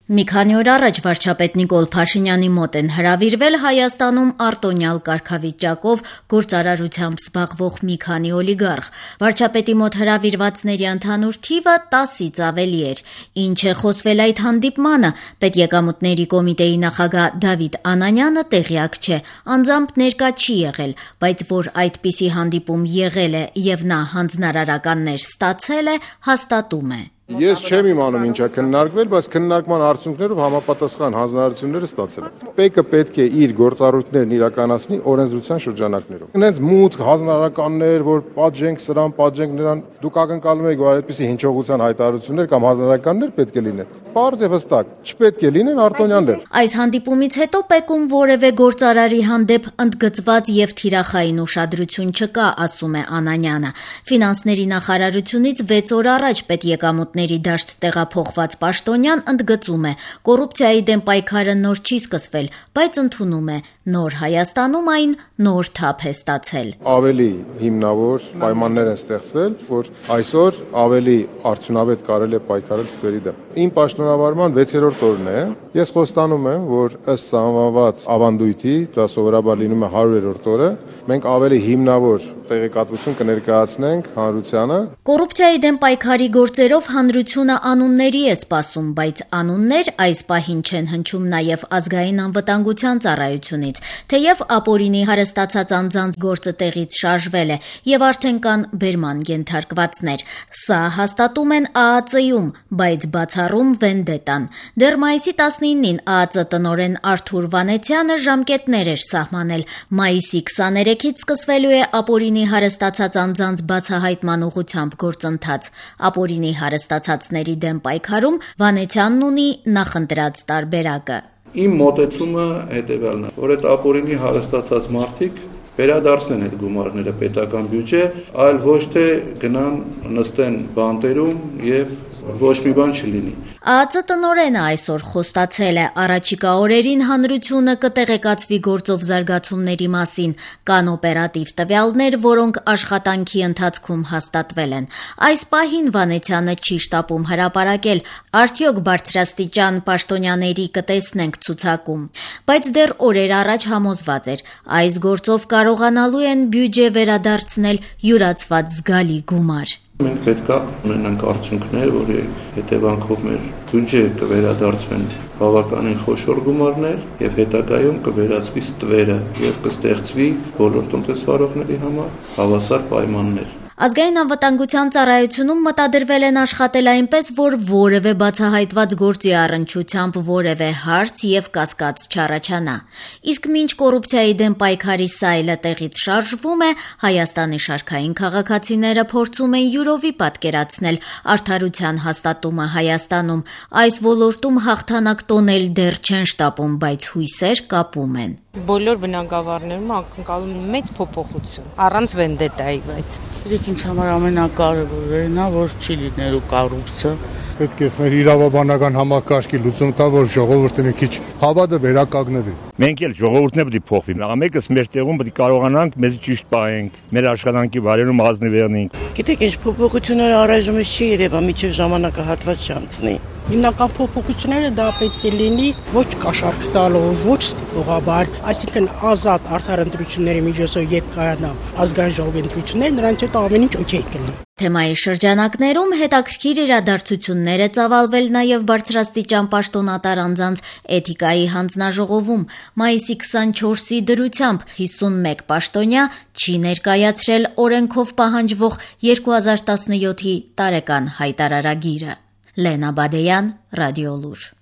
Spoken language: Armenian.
Մի քանի օր առաջ վարչապետ Նիկոլ Փաշինյանի մոտ են հրավիրվել Հայաստանում արտոնյալ կարգավիճակով գործարարությամբ զբաղվող մի քանի օլիգարխ։ Վարչապետի մոտ հրավիրվածների ընդհանուր թիվը 10-ից ավելի էր։ Ինչ է խոսվել այդ հանդիպմանը, Պետեկամուտների կոմիտեի նախագահ Դավիթ Անանյանը տեղյակ չէ, անձամբ ներկա չի եղել, բայց որ այդպիսի հանդիպում եղել է եւ նա հանձնարարականներ ստացել է, հաստատում է։ Ես չեմ իմանում ինչա քննարկվել, բայց քննարկման արդյունքներով համապատասխան հանձնարարությունները ստացել եմ։ ՊԵԿ-ը պետք է իր գործառույթներն իրականացնի օրենսդրության շրջանակներով։ Հենց մուտք հանձնարարականներ, որ պատժենք սրան, պատժենք նրան, դուք ակնկալում եք, որ այդպիսի հնչողության հայտարարություններ կամ հանձնարարականներ պետք է լինեն։ Պարզ եւ հստակ, չպետք է լինեն արտոնյաններ։ Այս հանդիպումից հետո ՊԵԿ-ում որևէ գործարարի հանդեպ ընդգծված եւ թիրախային ուշադրություն չկա, ասում է Անանյանը։ Ֆինանսների նախարարությունից 6 օր առաջ Պետեկամուտների դաշտ տեղափոխված պաշտոնյան ընդգծում է, կոռուպցիայի դեմ պայքարը նոր չի սկսվել, բայց ընդունում է, նոր Հայաստանում այն նոր թափ է ստացել։ Ավելի հիմնավոր պայմաններ են ստեղծվել, որ այսօր ավելի արդյունավետ կարելի է պայքարել ստերի դեմ։ Իմ պաշտոնավարման 6-րդ օրն է։ Ես խոստանում եմ, որ ըստ սահմանված ավանդույթի, դա սովորաբար լինում է 100-րդ օրը, մենք ավելի հիմնավոր տեղեկատվություն կներկայացնենք հանրությանը։ Կոռուպցիայի դեմ պայքարի գործերով հանրությունը անունների է սպասում, բայց անուններ այս պահին չեն հնչում նաև ազգային անվտանգության ծառայությունից, թեև ապօրինի հարստացած անձանց գործը տեղից շարժվել է եւ արդեն կան բերման ենթարկվածներ։ Սա հաստատում են ԱԱԾ-ում, բայց բացառում վենդետան։ Դեռ մայիսի 19-ին ԱԱԾ տնօրեն Արթուր Վանեցյանը ժամկետներ էր սահմանել։ Մայիսի 23-ից սկսվելու է ապօրինի հարստացած անձանց բացահայտման ուղղությամբ գործընթաց։ Ապօրինի հարստացածների դեմ պայքարում Վանեցյանն ունի նախընտրած տարբերակը։ Իմ մոտեցումը հետևյալն է, որ այդ ապօրինի հարստացած մարդիկ վերադարձնեն այդ գումարները պետական բյուջե, այլ ոչ թե գնան նստեն բանտերում եւ ոչ մի բան չլինի։ ԱԱԾ տնօրենը այսօր խոստացել է, առաջիկա օրերին հանրությունը կտեղեկացվի գործով զարգացումների մասին, կան օպերատիվ տվյալներ, որոնք աշխատանքի ընթացքում հաստատվել են։ Այս պահին Վանեցյանը չի շտապում հրապարակել, արդյոք բարձրաստիճան պաշտոնյաների կտեսնենք ցուցակում։ Բայց դեռ օրեր առաջ համոզված էր, այս գործով կարողանալու են բյուջե վերադարձնել յուրացված զգալի գումար։ Մենք պետք է ունենանք արդյունքներ, որի հետևանքով մեր բյուջեը կվերադարձվեն բավականին խոշոր գումարներ եւ հետագայում կվերածվի ստվերը եւ կստեղծվի բոլոր տնտեսվարողների համար հավասար պայմաններ։ Ազգային անվտանգության ծառայությունում մտադրվել են աշխատել այնպես, որ որևէ բացահայտված գործի առնչությամբ որևէ հարց եւ կասկած չառաջանա։ Իսկ մինչ կոռուպցիայի դեմ պայքարի սայլը տեղից շարժվում է, Հայաստանի շարքային քաղաքացիները փորձում են յուրովի պատկերացնել արդարության հաստատումը Հայաստանում։ Այս ոլորտում հաղթանակ տոնել դեռ չեն շտապում, բայց հույսեր կապում են։ Բոլոր բնակավարներում ակնկալում են մեծ փոփոխություն, առանց վենդետայի, բայց ինձ համար ամենակարևորն է, որ չի լինելու կոռուպցիա։ Պետք է մեր իրավաբանական համակարգի լուծում տա, որ ժողովուրդը մի քիչ հավատը վերականգնվի։ Մենք էլ ժողովուրդն է պետք է փոխվի։ Մեկս մեր տեղում պետք է կարողանանք մեզ ճիշտ պահենք, մեր աշխատանքի վայրերում ազնվեռնենք։ Գիտեք, ինչ փոփոխություններ առայժմ չի երևա, միջև ժամանակահատված չանցնի։ Հիմնական փոփոխությունները դա պետք է լինի ոչ կաշառք տալով, ոչ ստիպողաբար, այսինքն ազատ արդար ընտրությունների միջոցով երբ կայանա ազգային ժողովի ընտրություններ, նրանց հետ ամեն ինչ օքեյ կլինի։ Թեմայի շրջանակներում հետաքրքիր իրադարձություններ է ծավալվել նաև բարձրաստիճան պաշտոնատար անձանց էթիկայի հանձնաժողովում։ Մայիսի 24-ի դրությամբ 51 պաշտոնյա չի ներկայացրել օրենքով պահանջվող 2017-ի տարեկան հայտարարագիրը։ Լենա Բադեյան, Ռադիոլուր։